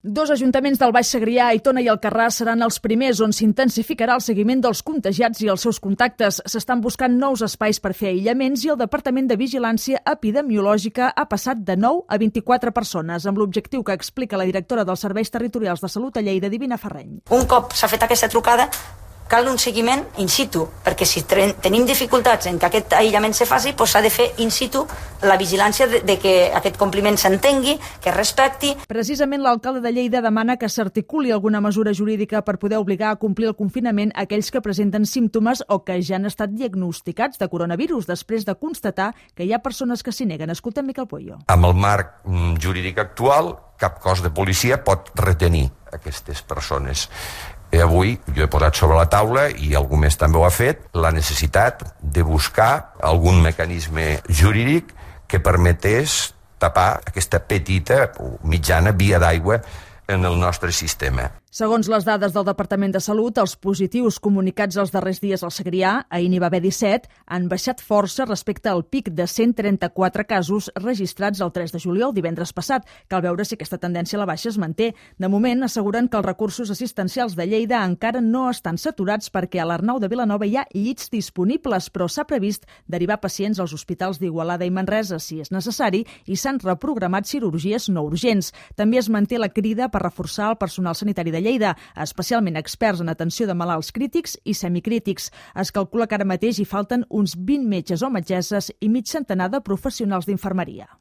Dos ajuntaments del Baix Segrià, Aitona i Alcarràs, seran els primers on s'intensificarà el seguiment dels contagiats i els seus contactes. S'estan buscant nous espais per fer aïllaments i el Departament de Vigilància Epidemiològica ha passat de 9 a 24 persones, amb l'objectiu que explica la directora dels Serveis Territorials de Salut a Lleida, Divina Ferreny. Un cop s'ha fet aquesta trucada, cal un seguiment in situ, perquè si tenim dificultats en que aquest aïllament se faci, doncs s'ha de fer in situ la vigilància de que aquest compliment s'entengui, que es respecti. Precisament l'alcalde de Lleida demana que s'articuli alguna mesura jurídica per poder obligar a complir el confinament a aquells que presenten símptomes o que ja han estat diagnosticats de coronavirus després de constatar que hi ha persones que s'hi neguen. Escoltem Miquel Pueyo. Amb el marc jurídic actual, cap cos de policia pot retenir aquestes persones. Avui jo he posat sobre la taula, i algú més també ho ha fet, la necessitat de buscar algun mecanisme jurídic que permetés tapar aquesta petita o mitjana via d'aigua en el nostre sistema. Segons les dades del Departament de Salut, els positius comunicats els darrers dies al Segrià, ahir n'hi va haver 17, han baixat força respecte al pic de 134 casos registrats el 3 de juliol, divendres passat. Cal veure si aquesta tendència a la baixa es manté. De moment, asseguren que els recursos assistencials de Lleida encara no estan saturats perquè a l'Arnau de Vilanova hi ha llits disponibles, però s'ha previst derivar pacients als hospitals d'Igualada i Manresa, si és necessari, i s'han reprogramat cirurgies no urgents. També es manté la crida per reforçar el personal sanitari de Lleida, especialment experts en atenció de malalts crítics i semicrítics. Es calcula que ara mateix hi falten uns 20 metges o metgesses i mig centenar de professionals d'infermeria.